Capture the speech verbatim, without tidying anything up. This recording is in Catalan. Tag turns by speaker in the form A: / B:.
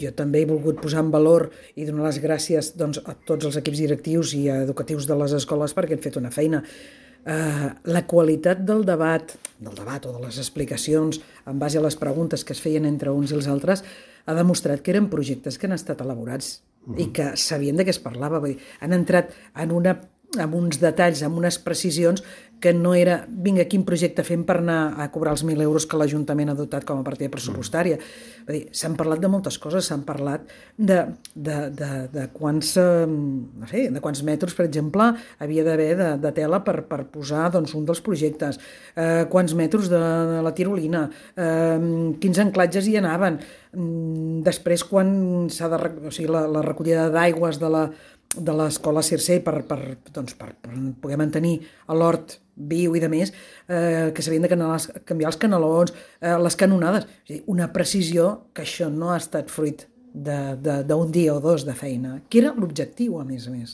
A: Jo també he volgut posar en valor i donar les gràcies doncs, a tots els equips directius i educatius de les escoles perquè han fet una feina. Uh, la qualitat del debat, del debat o de les explicacions en base a les preguntes que es feien entre uns i els altres ha demostrat que eren projectes que han estat elaborats mm. i que sabien de què es parlava. Vull dir, han entrat en una amb uns detalls, amb unes precisions que no era, vinga, quin projecte fem per anar a cobrar els mil euros que l'Ajuntament ha dotat com a partida pressupostària. Vull dir, s'han parlat de moltes coses, s'han parlat de, de, de, de, quants, no sé, de quants metres, per exemple, havia d'haver de, de tela per, per posar doncs, un dels projectes, eh, quants metres de, de la tirolina, eh, quins anclatges hi anaven, després quan s'ha de... O sigui, la, la recollida d'aigües de la de l'escola Circell per, per, doncs, per, per poder mantenir l'hort viu i de més, eh, que s'havien de canals, canviar els canalons, eh, les canonades. O sigui, una precisió que això no ha estat fruit d'un dia o dos de feina, que era l'objectiu, a més a més.